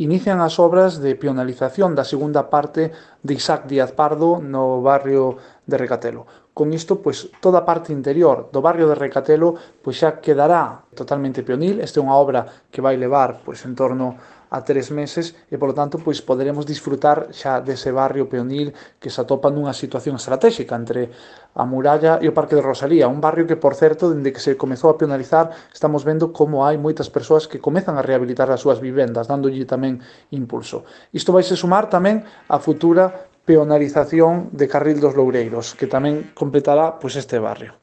inician as obras de peonalización da segunda parte de Isaac Díaz Pardo no barrio de Recatelo. Con isto, pois, toda a parte interior do barrio de Recatelo pois xa quedará totalmente peonil. Esta é unha obra que vai levar pois en torno a 3 meses e, polo tanto, pois poderemos disfrutar xa dese barrio peonil que se atopa nunha situación estratégica entre a muralla e o Parque de Rosalía, un barrio que, por certo, dende que se comezou a peonalizar, estamos vendo como hai moitas persoas que comezan a rehabilitar as súas vivendas, dándolle tamén impulso. Isto vai se sumar tamén a futura peonalización de Carril dos Loureiros, que tamén completará pois este barrio.